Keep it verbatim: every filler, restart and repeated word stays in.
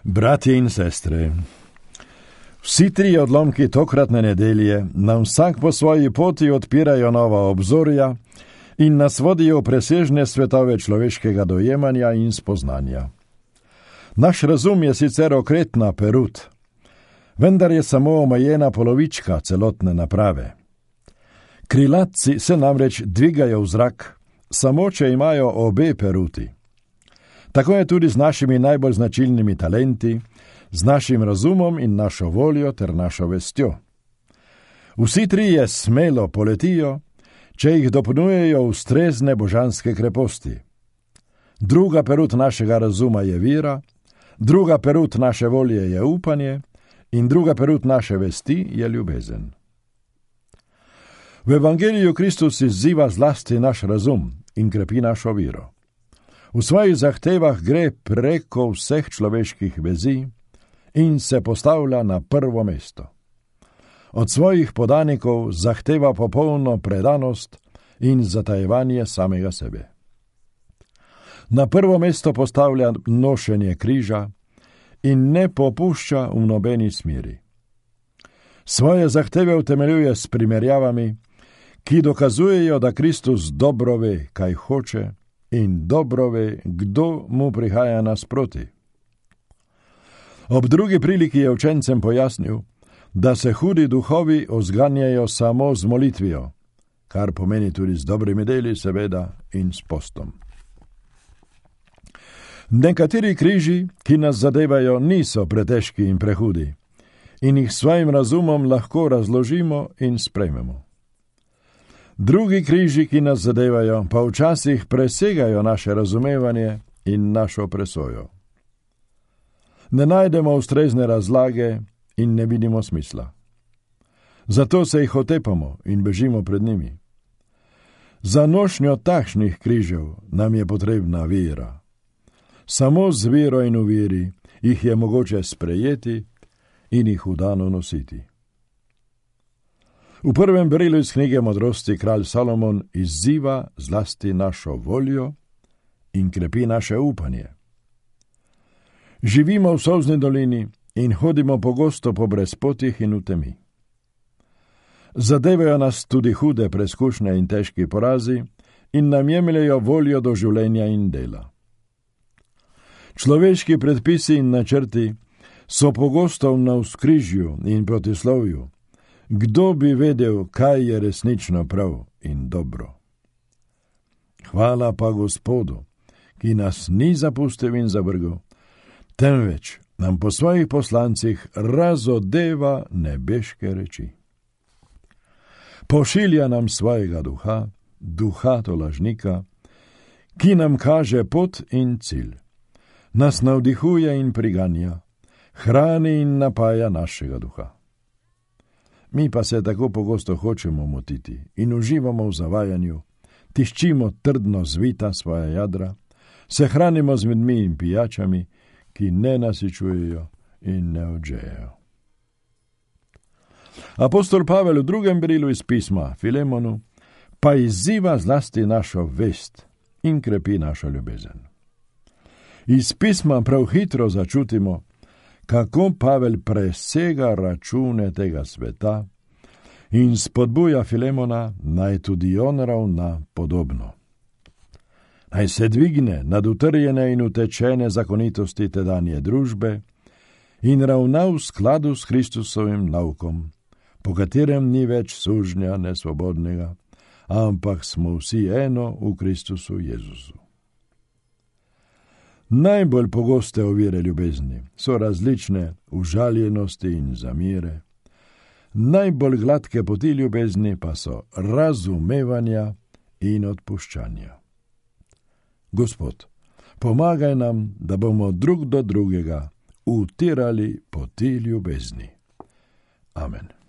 Bratje in sestre, vsi tri odlomki tokratne nedelje nam vsak po svoji poti odpirajo nova obzorja in nas vodijo v presežne svetove človeškega dojemanja in spoznanja. Naš razum je sicer okretna perut, vendar je samo omejena polovička celotne naprave. Krilatci se namreč dvigajo v zrak, samo če imajo obe peruti. Tako je tudi z našimi najbolj značilnimi talenti, z našim razumom in našo voljo ter našo vestjo. Vsi trije smelo poletijo, če jih dopolnjujejo ustrezne božanske kreposti. Druga perut našega razuma je vira, druga perut naše volje je upanje in druga perut naše vesti je ljubezen. V Evangeliju Kristus izziva zlasti naš razum in krepi našo viro. V svojih zahtevah gre preko vseh človeških vezi in se postavlja na prvo mesto. Od svojih podanikov zahteva popolno predanost in zatajevanje samega sebe. Na prvo mesto postavlja nošenje križa in ne popušča v nobeni smeri. Svoje zahteve utemeljuje s primerjavami, ki dokazujejo, da Kristus dobro ve, kaj hoče, in dobro ve, kdo mu prihaja nasproti. Ob drugi priliki je učencem pojasnil, da se hudi duhovi ozganjajo samo z molitvijo, kar pomeni tudi z dobrimi deli, seveda, in s postom. Nekateri križi, ki nas zadevajo, niso pretežki in prehudi in jih svojim razumom lahko razložimo in sprejmemo. Drugi križi, ki nas zadevajo, pa včasih presegajo naše razumevanje in našo presojo. Ne najdemo ustrezne razlage in ne vidimo smisla. Zato se jih otepamo in bežimo pred njimi. Za nošnjo takšnih križev nam je potrebna vera. Samo z vero in v veri jih je mogoče sprejeti in jih vdano nositi. V prvem berilu iz knjige Modrosti kralj Salomon izziva zlasti našo voljo in krepi naše upanje. Živimo v solzni dolini in hodimo pogosto po brezpotjih in v temi. Zadevajo nas tudi hude preskušnje in težki porazi in nam jemljejo voljo do življenja in dela. Človeški predpisi in načrti so pogosto v navzkrižju in protislovju. Kdo bi vedel, kaj je resnično prav in dobro? Hvala pa Gospodu, ki nas ni zapustil in zavrgel, temveč nam po svojih poslancih razodeva nebeške reči. Pošilja nam svojega duha, duha tolažnika, ki nam kaže pot in cilj, nas navdihuje in priganja, hrani in napaja našega duha. Mi pa se tako pogosto hočemo motiti in uživamo v zavajanju, tiščimo trdno zvita svoja jadra, se hranimo z medmi in pijačami, ki ne nasičujejo in ne odžejejo. Apostol Pavel v drugem berilu iz pisma Filemonu pa izziva zlasti našo vest in krepi našo ljubezen. Iz pisma prav hitro začutimo, kako Pavel presega račune tega sveta in spodbuja Filemona, naj tudi on ravna podobno. Naj se dvigne nad utrjene in utečene zakonitosti tedanje družbe in ravna v skladu s Kristusovim naukom, po katerem ni več sužnja nesvobodnega, ampak smo vsi eno v Kristusu Jezusu. Najbolj pogoste ovire ljubezni so različne užaljenosti in zamire. Najbolj gladke poti ljubezni pa so razumevanja in odpuščanja. Gospod, pomagaj nam, da bomo drug do drugega utirali poti ljubezni. Amen.